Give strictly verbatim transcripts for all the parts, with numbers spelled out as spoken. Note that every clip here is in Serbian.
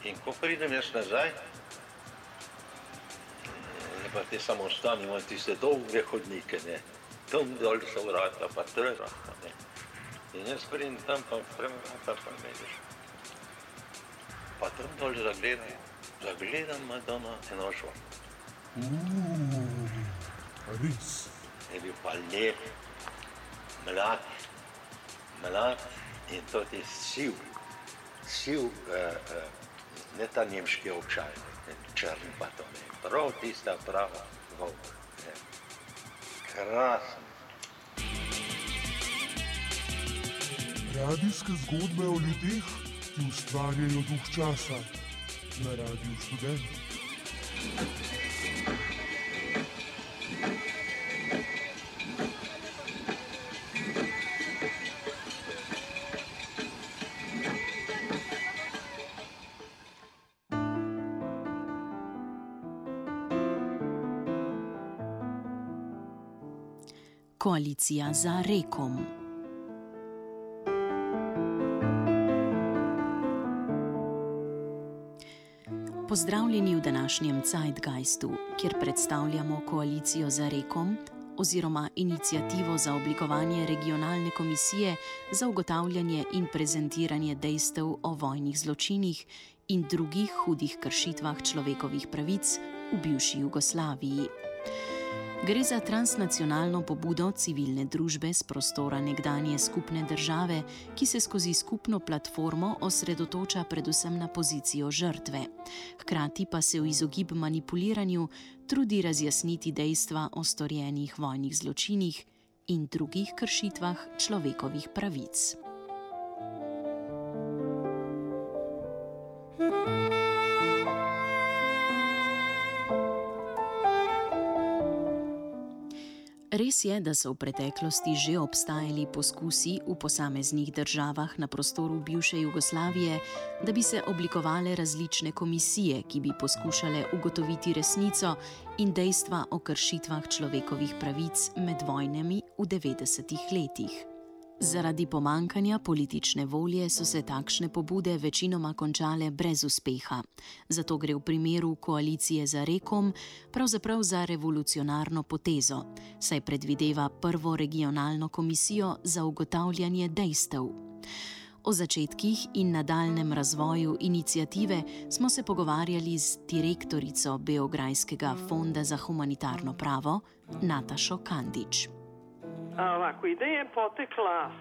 In ko pridem jaz nazaj, pa te samostani imajo tiste dolge hodnike, ne, tam dol so vrata, pa trvrata, ne. In jaz pridem tam, pa vrata, pa mediš. Pa tam dol zagledam, zagledam Madonna Enošo. Uuu, res. Je bil pa lep, mlad, mlad in to je siv, siv, uh, uh, ne ta nemški ovčaj, ne, črn pa to ne, prav tista prava volk, ne. Krasen. Radijske zgodbe o ljudeh, ki ustvarjajo duh časa na Radiu Študent. Koalicija za Rekom. Pozdravljeni v današnjem Zeitgeistu, kjer predstavljamo Koalicijo za Rekom oziroma inicijativo za oblikovanje regionalne komisije za ugotavljanje in prezentiranje dejstev o vojnih zločinih in drugih hudih kršitvah človekovih pravic v bivši Jugoslaviji. Gre za transnacionalno pobudo civilne družbe s prostora nekdanje skupne države, ki se skozi skupno platformo osredotoča predvsem na pozicijo žrtve. Hkrati pa se v izogib manipuliranju trudi razjasniti dejstva o storjenih vojnih zločinih in drugih kršitvah človekovih pravic. Res je, da so v preteklosti že obstajali poskusi v posameznih državah na prostoru bivše Jugoslavije, da bi se oblikovale različne komisije, ki bi poskušale ugotoviti resnico in dejstva o kršitvah človekovih pravic med vojnami v devetdesetih letih. Zaradi pomankanja politične volje so se takšne pobude večinoma končale brez uspeha. Zato gre v primeru Koalicije za Rekom pravzaprav za revolucionarno potezo, saj predvideva prvo regionalno komisijo za ugotavljanje dejstev. O začetkih in nadaljnem razvoju iniciative smo se pogovarjali z direktorico Beograjskega fonda za humanitarno pravo Natašo Kandić. Ovako, ideja je potekla,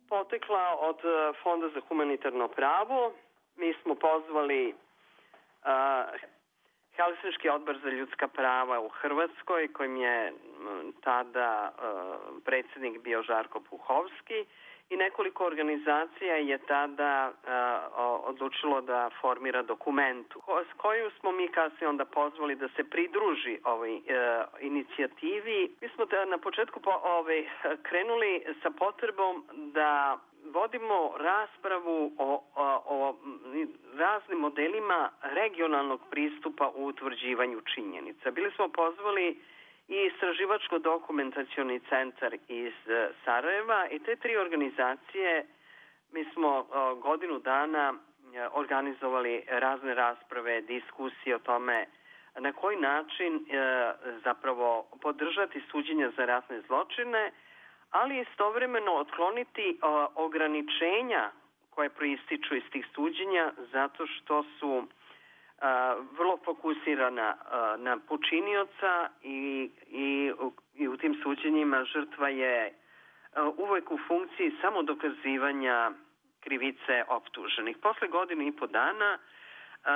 potekla od Fonda za humanitarno pravo. Mi smo pozvali uh, Helsinški odbor za ljudska prava u Hrvatskoj, kojim je tada uh, predsjednik bio Žarko Puhovski, i nekoliko organizacija je tada uh, odlučilo da formira dokumentu s koju smo mi kasnije onda pozvali da se pridruži ovoj uh, inicijativi. Mi smo da na početku po, ovaj, krenuli sa potrebom da vodimo raspravu o, o, o raznim modelima regionalnog pristupa u utvrđivanju činjenica. Bili smo pozvali i Istraživačko-dokumentacioni centar iz Sarajeva i te tri organizacije mi smo godinu dana organizovali razne rasprave, diskusije o tome na koji način zapravo podržati suđenja za ratne zločine, ali istovremeno otkloniti ograničenja koje proističu iz tih suđenja zato što su Uh, vrlo fokusirana uh, na počinioca i, i, i u tim suđenjima žrtva je uh, uvek u funkciji samo dokazivanja krivice optuženih. Posle godine i po dana uh,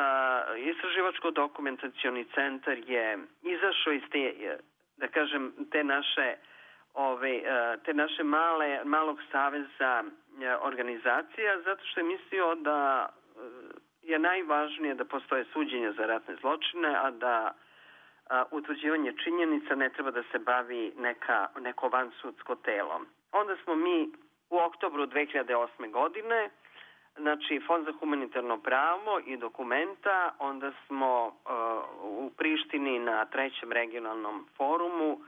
Istraživačko-dokumentacioni centar je izašao iz te, da kažem, te naše, ove, uh, te naše male, malog saveza uh, organizacija zato što je mislio da uh, je najvažnije da postoje suđenja za ratne zločine, a da a, utvrđivanje činjenica ne treba da se bavi neka, neko vansudsko telo. Onda smo mi u oktobru dve hiljade osme. godine, znači Fond za humanitarno pravo i dokumenta, onda smo a, u Prištini na trećem regionalnom forumu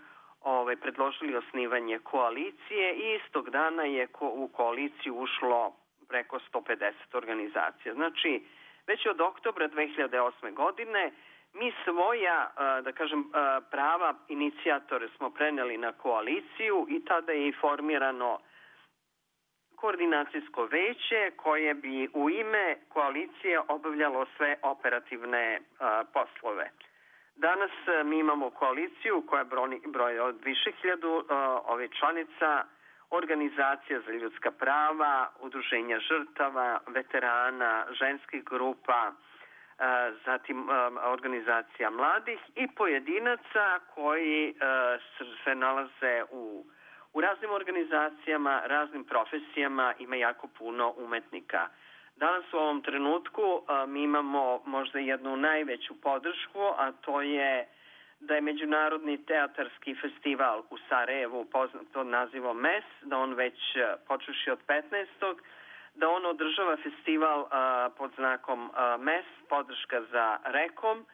ovaj, predložili osnivanje koalicije i istog dana je ko, u koaliciju ušlo preko sto pedeset organizacija. Znači, već od oktobra dve hiljade osme. godine mi svoja, da kažem, prava inicijatore smo preneli na koaliciju i tada je i formirano koordinacijsko veće koje bi u ime koalicije obavljalo sve operativne poslove. Danas mi imamo koaliciju koja broji od više hiljadu ove članica, organizacija za ljudska prava, udruženja žrtava, veterana, ženskih grupa, zatim organizacija mladih i pojedinaca koji se nalaze u, u raznim organizacijama, raznim profesijama, ima jako puno umetnika. Danas u ovom trenutku mi imamo možda jednu najveću podršku, a to je da je Međunarodni teatarski festival u Sarajevu poznat pod nazivom M E S, da on već počeši od petnaestog da on održava festival a, pod znakom a, M E S, podrška za Rekom.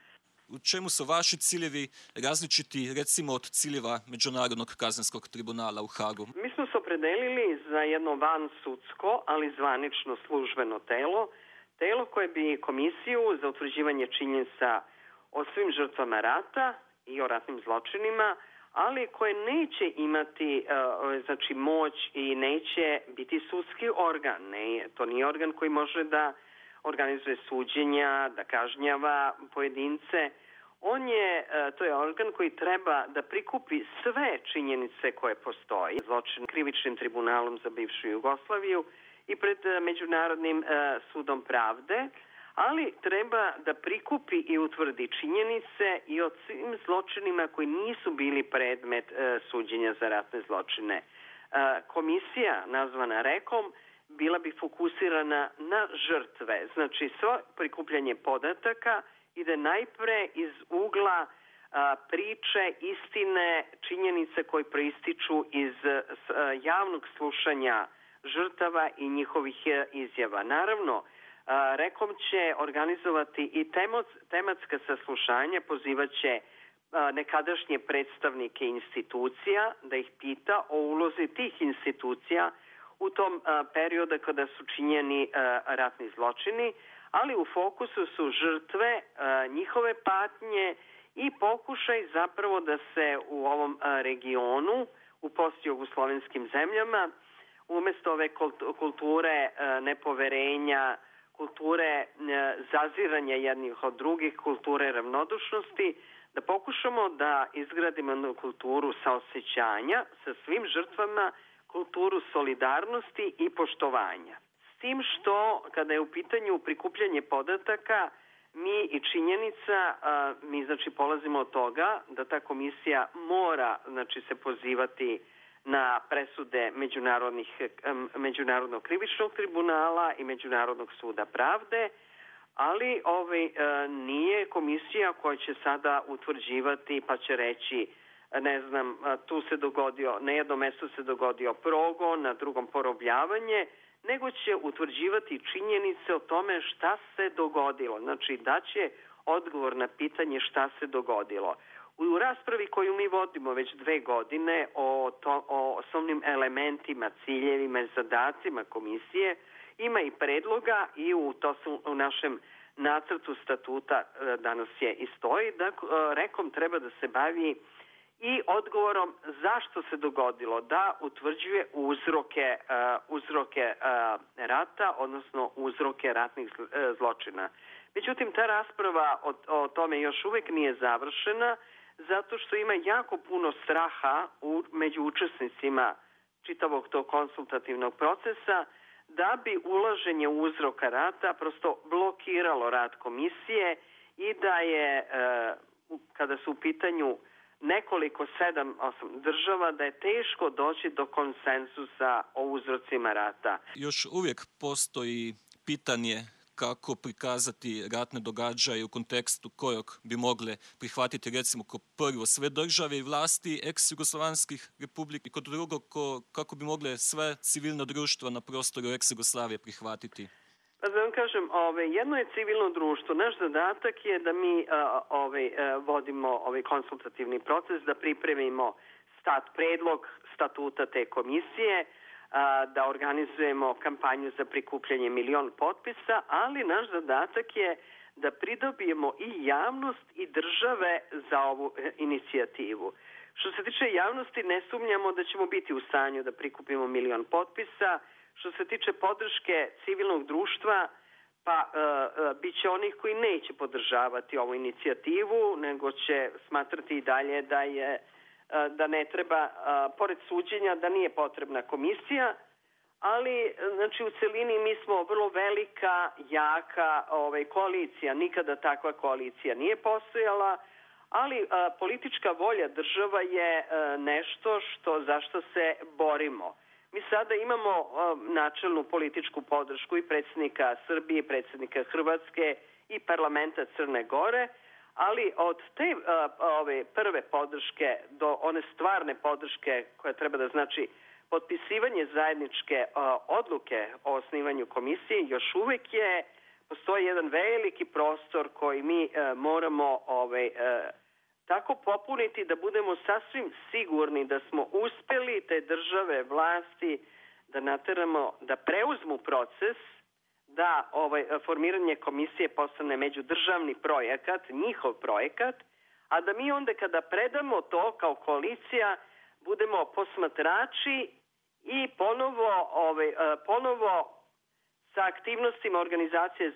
U čemu su vaši ciljevi različiti, recimo, od ciljeva Međunarodnog kaznenskog tribunala u Hagu? Mi smo se opredelili za jedno vansudsko, ali zvanično službeno telo, telo koje bi komisiju za utvrđivanje činjenica o svim žrtvama rata i o ratnim zločinima, ali koje neće imati znači, moć i neće biti sudski organ. Ne, to nije organ koji može da organizuje suđenja, da kažnjava pojedince. On je, to je organ koji treba da prikupi sve činjenice koje postoji. Zločin krivičnim tribunalom za bivšu Jugoslaviju i pred Međunarodnim sudom pravde, ali treba da prikupi i utvrdi činjenice i o svim zločinima koji nisu bili predmet e, suđenja za ratne zločine. E, komisija, nazvana Rekom, bila bi fokusirana na žrtve. Znači, svo prikupljanje podataka ide najpre iz ugla a, priče, istine, činjenice koje proističu iz a, javnog slušanja žrtava i njihovih a, izjava. Naravno, Rekom će organizovati i tematska saslušanja, pozivaće nekadašnje predstavnike institucija da ih pita o ulozi tih institucija u tom periodu kada su činjeni ratni zločini, ali u fokusu su žrtve, njihove patnje i pokušaj zapravo da se u ovom regionu, u postjugoslovenskim zemljama, umesto ove kulture nepoverenja, kulture zaziranja jednih od drugih, kulture ravnodušnosti, da pokušamo da izgradimo jednu kulturu saosećanja sa svim žrtvama, kulturu solidarnosti i poštovanja. S tim što, kada je u pitanju prikupljanje podataka, mi i činjenica, mi znači polazimo od toga da ta komisija mora znači se pozivati na presude međunarodnih, Međunarodnog krivičnog tribunala i Međunarodnog suda pravde, ali ovaj, nije komisija koja će sada utvrđivati pa će reći, ne znam, tu se dogodio, na jednom mestu se dogodio progon, na drugom porobljavanje, nego će utvrđivati činjenice o tome šta se dogodilo. Znači, daće odgovor na pitanje šta se dogodilo. U raspravi koju mi vodimo već dve godine o, to, o osnovnim elementima, ciljevima i zadacima komisije, ima i predloga i u, to su u našem nacrtu statuta danas je i stoji, da Rekom treba da se bavi i odgovorom zašto se dogodilo, da utvrđuje uzroke, uh, uzroke uh, rata, odnosno uzroke ratnih zločina. Međutim, ta rasprava o, o tome još uvek nije završena, zato što ima jako puno straha u, među učesnicima čitavog tog konsultativnog procesa, da bi ulaženje uzroka rata prosto blokiralo rad komisije i da je, uh, kada su u pitanju nekoliko, sedam, osam država, da je teško doći do konsenzusa o uzrocima rata. Još uvijek postoji pitanje kako prikazati ratne događaje u kontekstu kojeg bi mogle prihvatiti recimo kao prvo sve države i vlasti ex-jugoslovanskih republika i kod drugog ko, kako bi mogle sve civilno društvo na prostoru ex-Jugoslavije prihvatiti. Pa da vam kažem, ove, jedno je civilno društvo. Naš zadatak je da mi a, ove, a, vodimo ovaj konsultativni proces, da pripremimo stat predlog statuta te komisije. a, da organizujemo kampanju za prikupljanje milion potpisa, ali naš zadatak je da pridobijemo i javnost i države za ovu e, inicijativu. Što se tiče javnosti, ne sumnjamo da ćemo biti u stanju da prikupimo milion potpisa. Što se tiče podrške civilnog društva, pa e, e, bit će onih koji neće podržavati ovu inicijativu, nego će smatrati i dalje da je e, da ne treba, e, pored suđenja, da nije potrebna komisija, ali znači u celini mi smo vrlo velika, jaka ovaj, koalicija. Nikada takva koalicija nije postojala, ali a, politička volja država je a, nešto što, za što se borimo. Mi sada imamo a, načelnu političku podršku i predsjednika Srbije, i predsjednika Hrvatske i parlamenta Crne Gore, ali od te a, ove prve podrške do one stvarne podrške koja treba da znači potpisivanje zajedničke a, odluke o osnivanju komisije, još uvek je postoji jedan veliki prostor koji mi a, moramo ovaj, a, tako popuniti da budemo sasvim sigurni da smo uspeli te države, vlasti da nateramo da preuzmu proces, da ovaj, formiranje komisije postane međudržavni projekat, njihov projekat, a da mi onda kada predamo to kao koalicija budemo posmatrači i ponovo, ovaj, ponovo sa aktivnostima organizacije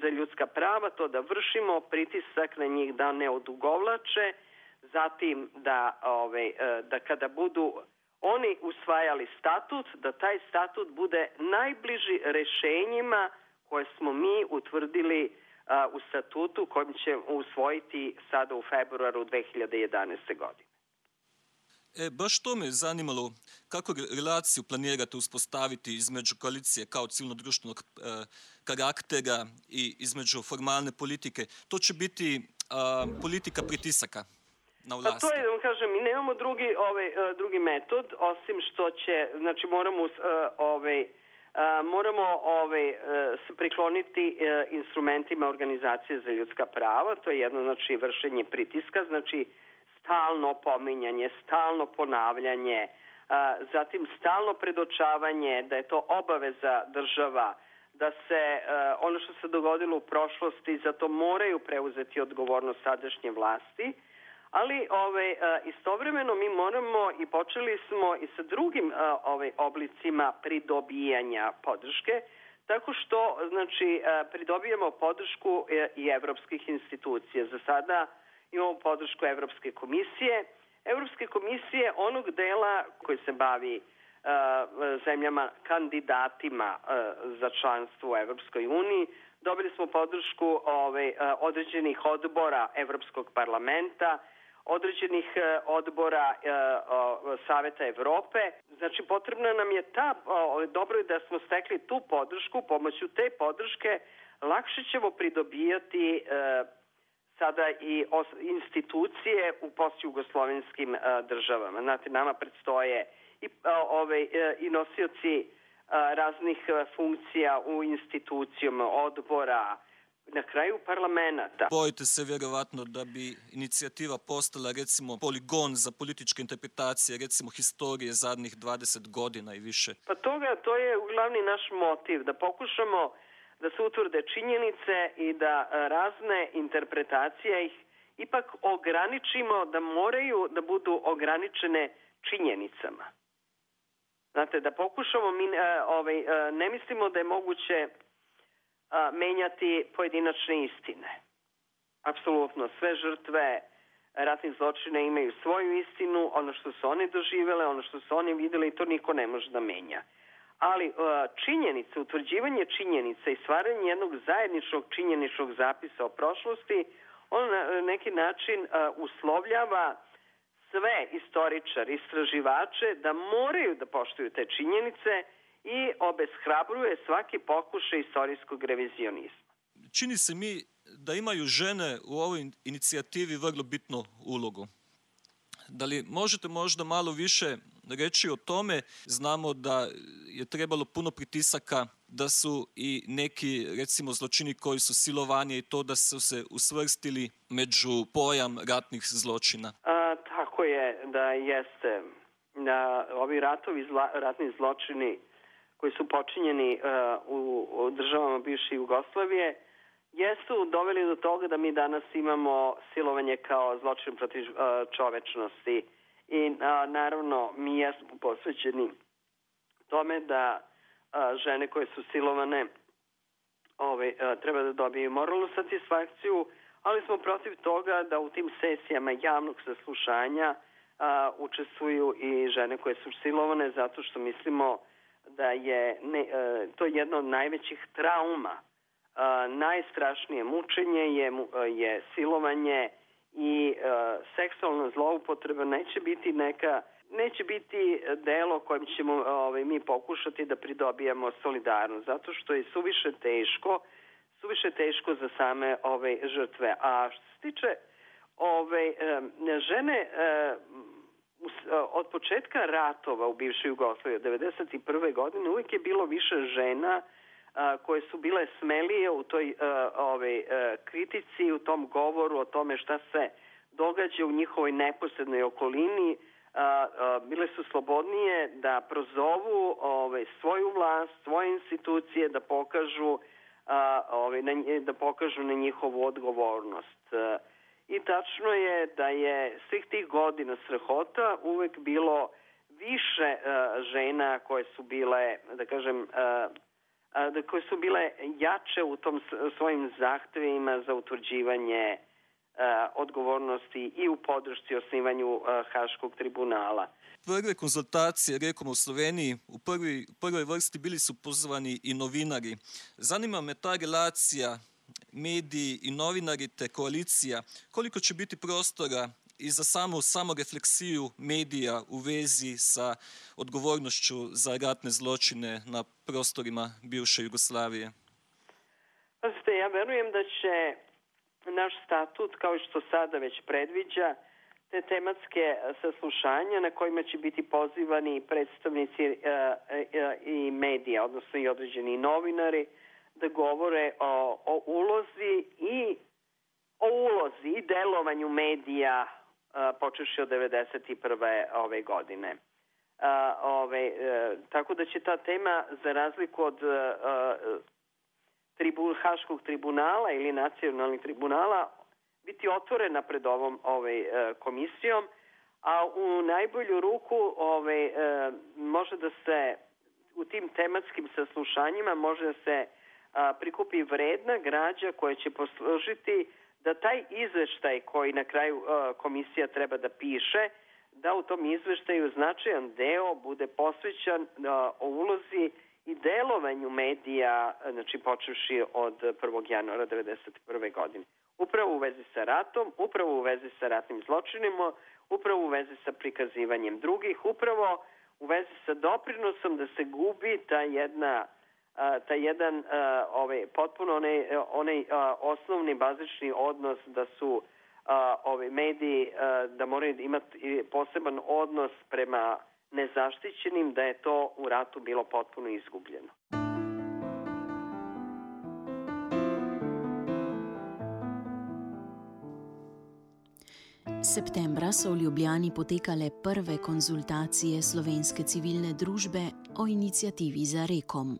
za ljudska prava to da vršimo pritisak na njih da ne odugovlače, zatim da, ovaj, da kada budu oni usvajali statut, da taj statut bude najbliži rešenjima koje smo mi utvrdili a, u statutu kojim će usvojiti sada u februaru dve hiljade jedanaeste. godine. E, baš to me zanimalo, kako relaciju planirate uspostaviti između koalicije kao civilno-društvenog e, karaktera i između formalne politike. To će biti a, politika pritisaka na vlasti. Pa to je, da vam kažem, mi nemamo drugi, ovaj, drugi metod, osim što će, znači moramo, ovaj, moramo ovaj, se prikloniti instrumentima organizacije za ljudska prava, to je jedno, znači, vršenje pritiska, znači stalno pominjanje, stalno ponavljanje, zatim stalno predočavanje da je to obaveza država, da se ono što se dogodilo u prošlosti za to moraju preuzeti odgovornost sadašnje vlasti, ali ove, istovremeno mi moramo i počeli smo i sa drugim ove, oblicima pridobijanja podrške, tako što znači, pridobijamo podršku i evropskih institucija. Za sada imamo podršku Evropske komisije. Evropske komisije onog dela koji se bavi uh, zemljama kandidatima uh, za članstvo u Evropskoj uniji. Dobili smo podršku ove, uh, određenih odbora Evropskog parlamenta, određenih uh, odbora uh, uh, Saveta Evrope. Znači potrebna nam je ta, uh, dobro je da smo stekli tu podršku, pomoću te podrške lakše ćemo pridobijati uh, sada i institucije u postjugoslovenskim državama. Znate, nama predstoje i, ove, i nosioci raznih funkcija u institucijama, odbora, na kraju parlamenta. Bojite se vjerovatno da bi inicijativa postala recimo poligon za političke interpretacije, recimo historije zadnjih dvadeset godina i više? Pa toga, to je glavni naš motiv, da pokušamo da se utvrde činjenice i da razne interpretacije ih ipak ograničimo, da moraju da budu ograničene činjenicama. Znate, da pokušamo, mi ovaj, ne mislimo da je moguće menjati pojedinačne istine. Apsolutno, sve žrtve ratnih zločina imaju svoju istinu, ono što su oni doživele, ono što su oni videli, to niko ne može da menja. Ali činjenice, utvrđivanje činjenica i stvaranje jednog zajedničkog činjeničnog zapisa o prošlosti, on na neki način uslovljava sve istoričare, istraživače da moraju da poštuju te činjenice i obeshrabruje svaki pokušaj istorijskog revizionizma. Čini se mi da imaju žene u ovoj inicijativi vrlo bitnu ulogu. Da li možete možda malo više reći o tome? Znamo da je trebalo puno pritisaka, da su i neki, recimo, zločini koji su silovanje i to da su se usvrstili među pojam ratnih zločina. A, tako je, da jeste. da ovi ratovi, zla, ratni zločini koji su počinjeni uh, u, u državama bivše Jugoslavije jesu doveli do toga da mi danas imamo silovanje kao zločin protiv uh, čovečnosti. I uh, naravno mi jesmo posvećeni tome da uh, žene koje su silovane ove, uh, treba da dobiju moralnu satisfakciju, ali smo protiv toga da u tim sesijama javnog saslušanja uh, učestvuju i žene koje su silovane, zato što mislimo da je ne, uh, to jedna od najvećih trauma. Uh, najstrašnije mučenje je, je silovanje i uh, seksualna zloupotreba neće biti neka, neće biti delo kojim ćemo ovaj, mi pokušati da pridobijemo solidarnost, zato što je suviše teško, suviše teško za same ove žrtve. A što se tiče ove žene od početka ratova u bivšoj Jugoslaviji od devedeset prve godine uvijek je bilo više žena koje su bile smelije u toj ove, kritici, u tom govoru o tome šta se događa u njihovoj neposrednoj okolini. Bile su slobodnije da prozovu ove, svoju vlast, svoje institucije, da pokažu, ove, da pokažu na njihovu odgovornost. I tačno je da je svih tih godina strahota uvek bilo više žena koje su bile, da kažem, da koje su bile jače u tom svojim zahtevima za utvrđivanje uh, odgovornosti i u podršci osnivanju uh, Haškog tribunala. Prve konzultacije, rekom u Sloveniji, u prvi, prvoj vrsti bili su pozvani i novinari. Zanima me ta relacija mediji i novinari te koalicija, koliko će biti prostora i za samu samorefleksiju medija u vezi sa odgovornošću za ratne zločine na prostorima bivše Jugoslavije? Pazite, ja verujem da će naš statut, kao što sada već predviđa, te tematske saslušanja na kojima će biti pozivani predstavnici e, e, i medija, odnosno i određeni novinari, da govore o, o ulozi i o ulozi i delovanju medija Uh, počeši od devedeset prve ove godine. Uh, ove, uh, tako da će ta tema, za razliku od uh, tribun, Haškog tribunala ili nacionalnih tribunala, biti otvorena pred ovom ove, uh, komisijom, a u najbolju ruku ove, uh, može da se u tim tematskim saslušanjima može da se uh, prikupi vredna građa koja će poslužiti da taj izveštaj koji na kraju uh, komisija treba da piše, da u tom izveštaju značajan deo bude posvećan uh, o ulozi i delovanju medija, znači počevši od prvog januara devedeset prve godine. Upravo u vezi sa ratom, upravo u vezi sa ratnim zločinima, upravo u vezi sa prikazivanjem drugih, upravo u vezi sa doprinosom da se gubi ta jedna Uh, taj jedan uh, ovaj, potpuno onaj, onaj uh, osnovni bazični odnos da su uh, ovi mediji uh, da moraju imati poseban odnos prema nezaštićenim, da je to u ratu bilo potpuno izgubljeno. Septembra so v Ljubljani potekale prve konzultacije slovenske civilne družbe o inicijativi Za rekom.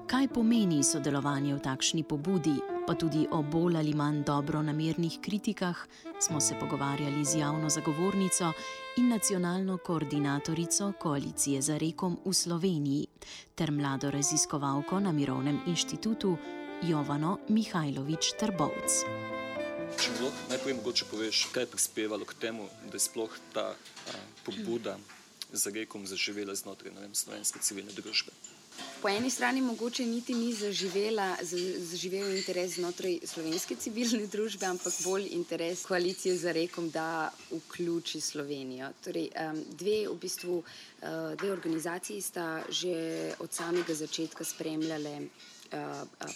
Kaj pomeni sodelovanje v takšni pobudi, pa tudi o bolj ali manj dobronamernih kritikah, smo se pogovarjali z javno zagovornico in nacionalno koordinatorico Koalicije Za rekom v Sloveniji ter mlado raziskovalko na Mirovnem inštitutu Jovano Mihajlović-Trbovc. Če mi lahko najprej mogoče poveš, kaj je prispevalo k temu, da je sploh ta a, pobuda Za rekom zaživela znotraj, ne vem, slovenske civilne družbe? Po eni strani mogoče niti ni zaživela, zaživel interes znotraj slovenske civilne družbe, ampak bolj interes Koalicije Za rekom, da vključi Slovenijo. Torej, dve, v bistvu, dve organizaciji sta že od samega začetka spremljale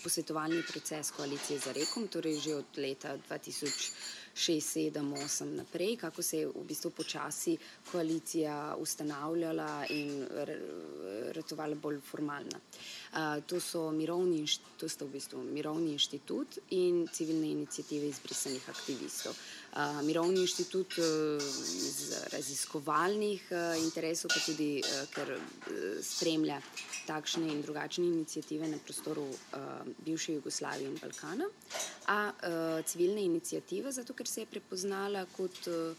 posvetovalni proces Koalicije Za rekom, torej že od leta dva tisoč šest, sedem, osem naprej, kako se je v bistvu počasi koalicija ustanavljala in ratovala bolj formalna. Uh, to so mirovni, to sta v bistvu Mirovni inštitut in civilne iniciative izbrisanih aktivistov. Uh, Mirovni inštitut uh, iz raziskovalnih uh, interesov, pa tudi uh, ker uh, spremlja takšne in drugačne iniciative na prostoru uh, bivše Jugoslavije in Balkana, a uh, civilna iniciativa, zato ker se je prepoznala kot uh,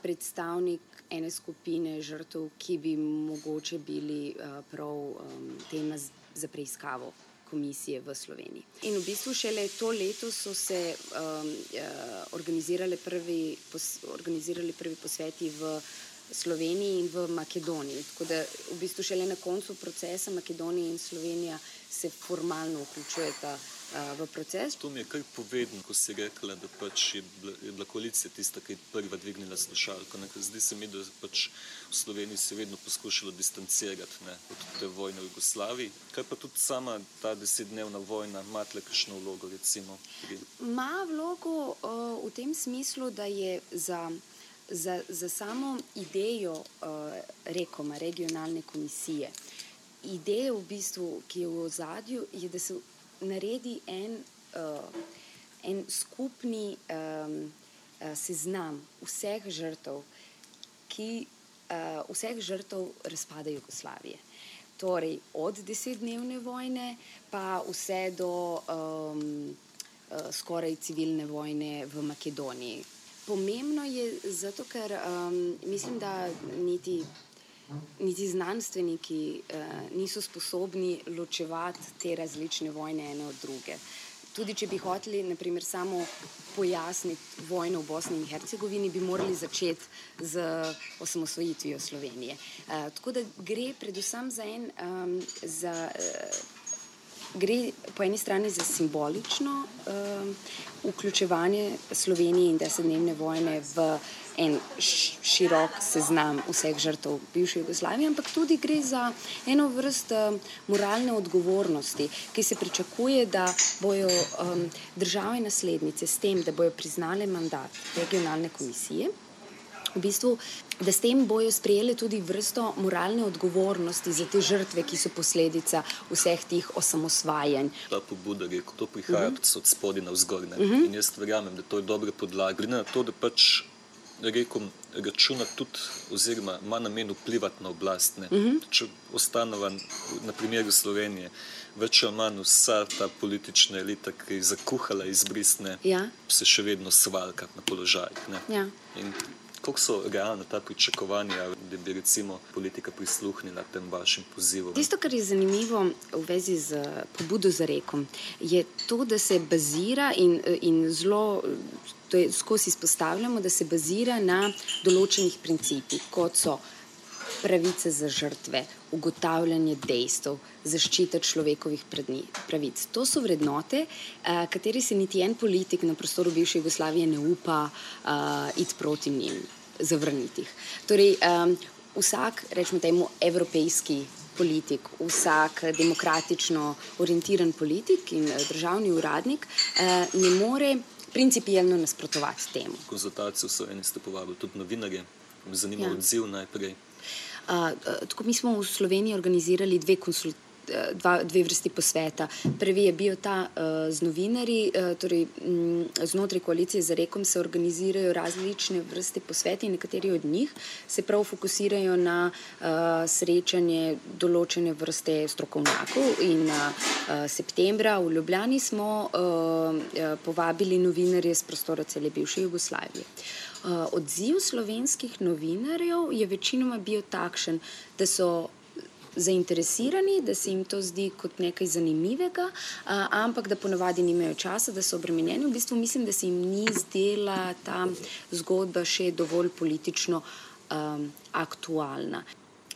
predstavnik ene skupine žrtev, ki bi mogoče bili uh, prav um, tema za preiskavo komisije v Sloveniji. In v bistvu šele to leto so se um, uh, organizirali, prvi pos, organizirali prvi posveti v Sloveniji in v Makedoniji. Tako da v bistvu šele na koncu procesa Makedonija in Slovenija se formalno vključujeta uh, v proces. To mi je kar povedno, ko si rekla, da pač je bila, je bila koalicija tista, ki je prva dvignila slušalko. Ne? Zdi se mi, da pač v Sloveniji se je vedno poskušalo distancirati, ne, od te vojne v Jugoslaviji. Kaj pa tudi sama ta desetdnevna vojna, ima tle kakšno vlogo, recimo? Ma vlogo uh, v tem smislu, da je za Za, za samo idejo uh, rekoma, regionalne komisije, ideja v bistvu, ki je v ozadju, je, da se naredi en, uh, en skupni um, uh, seznam vseh žrtev, ki uh, vseh žrtev razpada Jugoslavije. Torej, od desetdnevne vojne pa vse do um, uh, skoraj civilne vojne v Makedoniji. Pomembno je zato, ker um, mislim, da niti, niti znanstveniki uh, niso sposobni ločevati te različne vojne ene od druge. Tudi če bi hoteli, na primer, samo pojasniti vojno v Bosni in Hercegovini, bi morali začeti z osamosvojitvijo Slovenije. Uh, tako da gre predvsem za en, um, za, uh, gre po eni strani za simbolično uh, vključevanje Slovenije in desetdnevne vojne v en širok seznam vseh žrtev bivše Jugoslavije, ampak tudi gre za eno vrst uh, moralne odgovornosti, ki se pričakuje, da bojo um, države naslednice s tem, da bojo priznale mandat regionalne komisije, v bistvu, da s tem bojo sprejeli tudi vrsto moralne odgovornosti za te žrtve, ki so posledica vseh tih osamosvajanj. Ta pobuda, rekel, to prihaja uh-huh. od spodaj navzgor, ne? Uh-huh. In jaz verjamem, da to je dobra podlaga. Glede na to, da pač rekel, računa tudi oziroma ima namen vplivati na oblast. Ne? Uh-huh. Če ostanova na primeru Slovenije, več ali manj vsa ta politična elita, ki je zakuhala izbrisne, ja. Se še vedno svalka na položajih. Ne? Ja. In koliko so realno ta pričakovanja, da bi recimo politika prisluhnila tem vašim pozivom? Tisto, kar je zanimivo v vezi z pobudo za rekom, je to, da se bazira in, in zelo, to je skozi izpostavljamo, da se bazira na določenih principih, kot so pravice za žrtve, ugotavljanje dejstev, zaščita človekovih pravic. To so vrednote, kateri se niti en politik na prostoru bivše Jugoslavije ne upa uh, iti proti njim, zavrniti jih. Torej, um, vsak, rečemo temu, evropejski politik, vsak demokratično orientiran politik in državni uradnik uh, ne more principijelno nasprotovati temu. Konzultacijo so eni ste povabili tudi novinarje. Me zanima ja. Odziv najprej. Uh, tako mi smo v Sloveniji organizirali dve, konsult, dva, dve vrsti posveta. Prvi je bil ta uh, z novinarji, uh, torej m, znotraj koalicije za rekom se organizirajo različne vrste posveti in nekateri od njih se prav fokusirajo na uh, srečanje določene vrste strokovnjakov in uh, septembra v Ljubljani smo uh, povabili novinarje z prostora cele bivše Jugoslavije. Uh, odziv slovenskih novinarjev je večinoma bil takšen, da so zainteresirani, da se jim to zdi kot nekaj zanimivega, uh, ampak da ponavadi nimajo časa, da so obremenjeni. V bistvu mislim, da se jim ni zdela ta zgodba še dovolj politično um, aktualna.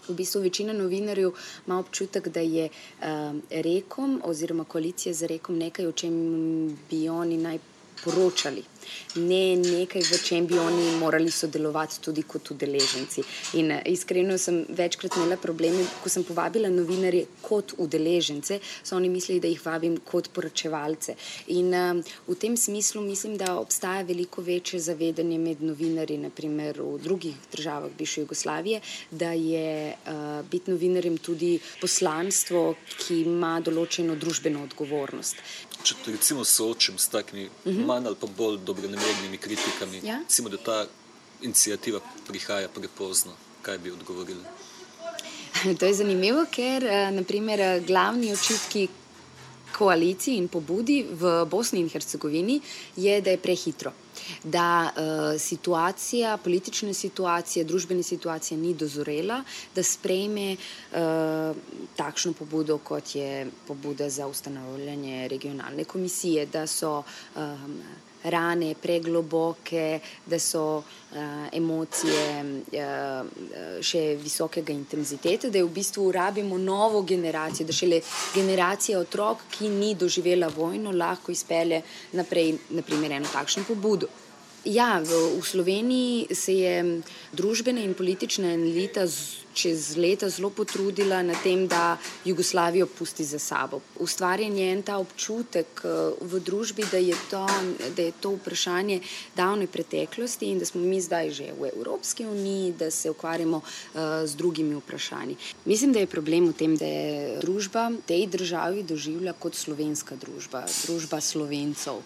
V bistvu večina novinarjev ima občutek, da je um, rekom oziroma koalicija za rekom nekaj, o čem bi oni naj poročali, ne nekaj, v čem bi oni morali sodelovati tudi kot udeleženci. In iskreno sem večkrat imela probleme, ko sem povabila novinarje kot udeležence, so oni mislili, da jih vabim kot poročevalce. In um, v tem smislu mislim, da obstaja veliko večje zavedanje med novinarji, naprimer v drugih državah bivše Jugoslavije, da je uh, biti novinarjem tudi poslanstvo, ki ima določeno družbeno odgovornost. Če te recimo soočim s takimi uh-huh. manj ali pa bolj dobronamernimi kritikami, ja? Recimo, da ta inicijativa prihaja prepozno, kaj bi odgovorili? To je zanimivo, ker naprimer glavni očitki koaliciji in pobudi v Bosni in Hercegovini je, da je prehitro, da uh, situacija, politična situacija, družbena situacija ni dozorela, da sprejme uh, takšno pobudo, kot je pobuda za ustanovljanje regionalne komisije, da so um, rane pregloboke, da so uh, emocije uh, še visokega intenziteta, da je v bistvu rabimo novo generacijo, da šele generacija otrok, ki ni doživela vojno, lahko izpelje naprej, naprimer, eno takšno pobudo. Ja, v, v Sloveniji se je družbena in politična elita z, čez leta zelo potrudila na tem, da Jugoslavijo pusti za sabo. Ustvarjen je en ta občutek v družbi, da je to, da je to vprašanje davne preteklosti in da smo mi zdaj že v Evropski uniji, da se ukvarjamo uh, z drugimi vprašanji. Mislim, da je problem v tem, da je družba tej državi doživlja kot slovenska družba, družba Slovencev.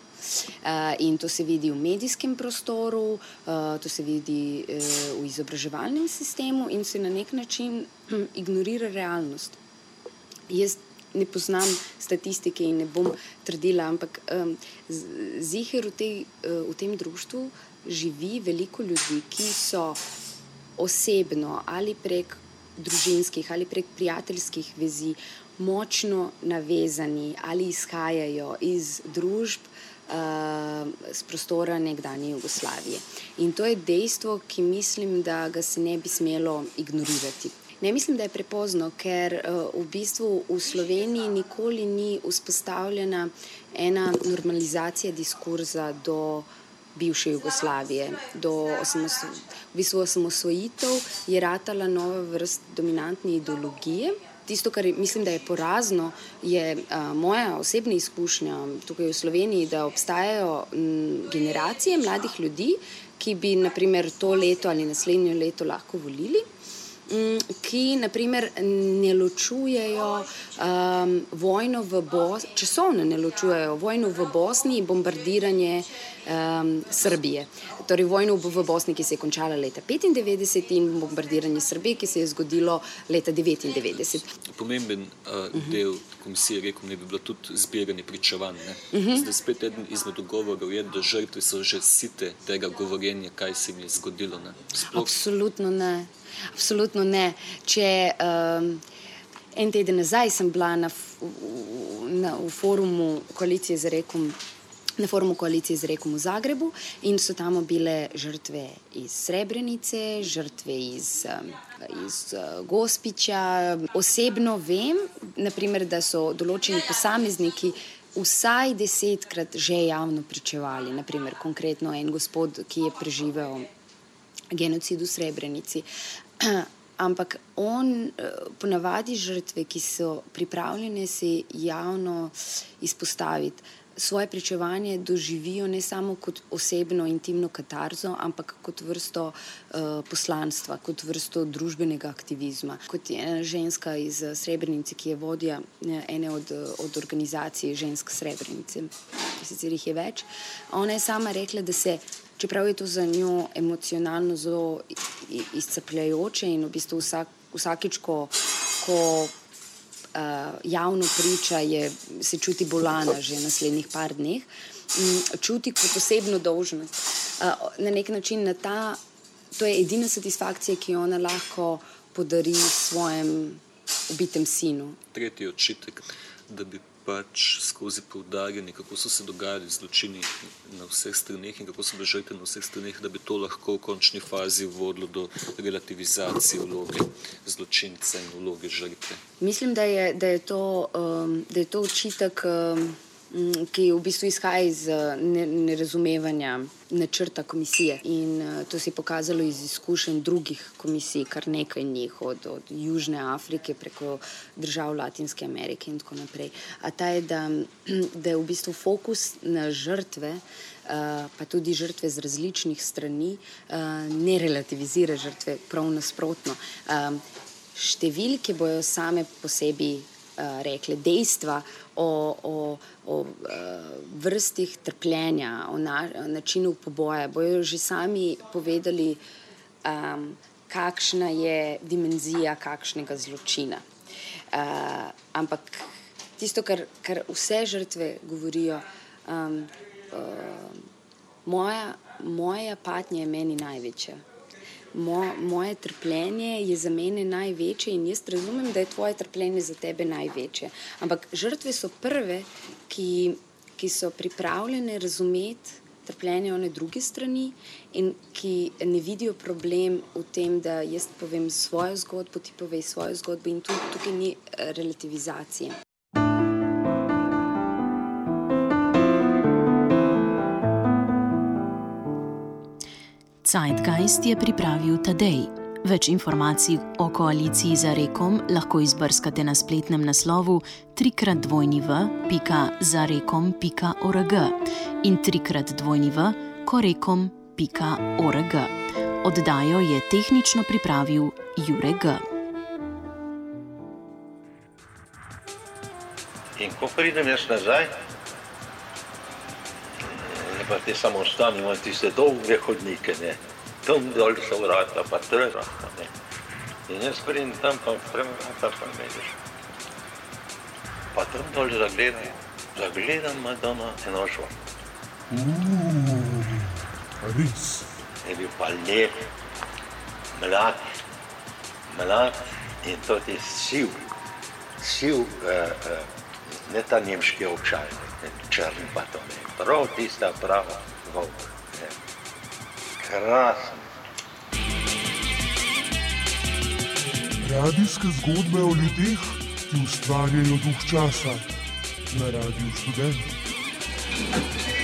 Uh, in to se vidi v medijskem prostoru, uh, to se vidi uh, v izobraževalnem sistemu in se na nek način hm, ignorira realnost. Jaz ne poznam statistike in ne bom trdila, ampak um, ziher v, tej, uh, v tem društvu živi veliko ljudi, ki so osebno ali prek družinskih ali prek prijateljskih vezi močno navezani ali izhajajo iz družb z prostora nekdanje Jugoslavije. In to je dejstvo, ki mislim, da ga se ne bi smelo ignorirati. Ne mislim, da je prepozno, ker v bistvu v Sloveniji nikoli ni vzpostavljena ena normalizacija diskurza do bivše Jugoslavije, do osamosvo... v bistvu osamosvojitev je ratala nova vrst dominantne ideologije. Tisto, kar mislim, da je porazno, je a, moja osebna izkušnja tukaj v Sloveniji, da obstajajo m, generacije mladih ljudi, ki bi naprimer to leto ali naslednje leto lahko volili, m, ki naprimer ne ločujejo um, vojno v Bosni, časovno ne ločujejo vojno v Bosni in bombardiranje um, Srbije. Torej vojno v Bosni, ki se je končala leta petindevetdeset in bombardiranje Srbije, ki se je zgodilo leta devetindevetdeset. Pomemben uh, del komisije rekel, ne bi bilo tudi zbiranje pričevanj. Uh-huh. Zdaj spet eden izmed dogovorov je, da žrtve so že site tega govorjenja, kaj se jim je zgodilo. Ne? Absolutno ne. Absolutno ne. Če um, en teden nazaj sem bila na, na, v forumu koalicije za rekom na forumu koalicije z rekom v Zagrebu in so tam bile žrtve iz Srebrenice, žrtve iz, iz Gospića. Osebno vem, naprimer, da so določeni posamezniki vsaj desetkrat že javno pričevali. Naprimer, konkretno en gospod, ki je preživel genocid v Srebrenici. Ampak on ponavadi žrtve, ki so pripravljene se javno izpostaviti, svoje pričevanje doživijo ne samo kot osebno intimno katarzo, ampak kot vrsto uh, poslanstva, kot vrsto družbenega aktivizma. Kot je ena ženska iz Srebrenice, ki je vodja ene od, od organizacij žensk Srebrenice, sicer jih je več, ona je sama rekla, da se, čeprav je to za njo emocionalno zelo izcapljajoče in v bistvu vsak, vsakič, ko, ko Uh, javno priča, je, se čuti bolana že naslednjih par dneh, um, čuti kot osebno dolžnost. Uh, na nek način na ta, to je edina satisfakcija, ki jo ona lahko podari svojem ubitem sinu. Tretji očitek, da bi pač skozi poudarjanje, kako so se dogajali zločini na vseh straneh in kako so bile žrtve na vseh straneh, da bi to lahko v končni fazi vodilo do relativizacije vloge zločinca in vloge žrtve. Mislim, da je, da je, to, um, da je to očitek um, ki v bistvu izhaja iz nerazumevanja načrta komisije. In to se je pokazalo iz izkušenj drugih komisij, kar nekaj njih, od, od Južne Afrike preko držav Latinske Amerike in tako naprej. A ta je, da, da je v bistvu fokus na žrtve, pa tudi žrtve z različnih strani, ne relativizira žrtve, prav nasprotno. Številke bojo same po sebi rekle dejstva o, o, o vrstih trpljenja, o, na, o načinu poboja, bojo že sami povedali, um, kakšna je dimenzija kakšnega zločina. Uh, ampak tisto, kar, kar vse žrtve govorijo, um, uh, moja, moja patnja je meni največja. Mo, moje trpljenje je za mene največje in jaz razumem, da je tvoje trpljenje za tebe največje. Ampak žrtve so prve, ki, ki so pripravljene razumeti trpljenje one druge strani in ki ne vidijo problem v tem, da jaz povem svojo zgodbo, ti povej svojo zgodbo in tudi tukaj ni relativizacije. Zeitgeist je pripravil Tadej. Več informacij o koaliciji za rekom lahko izbrskate na spletnem naslovu trikrat dvojni v pika zarekom pika org in trikrat dvojni v korekom pika org. Oddajo je tehnično pripravil Jure G. In ko pridem jaz nazaj, pa te samo ostane, imam tiste dolge hodnike, ne. Tam dol so vrata, pa trata, ne. In jaz pridem tam, pa vrata, pa mediš. Pa tam dol zagledam, zagledam Madonna Enošva. Uuu, res. Je bil pa lep, mlad, mlad in to je siv, siv, uh, uh, ne ta nemški ovčaj, ne, črn pa to ne. Prav tista prava volk. Krasen. Radijske zgodbe o ljudeh, ki ustvarjajo duh časa na Radiu Študent.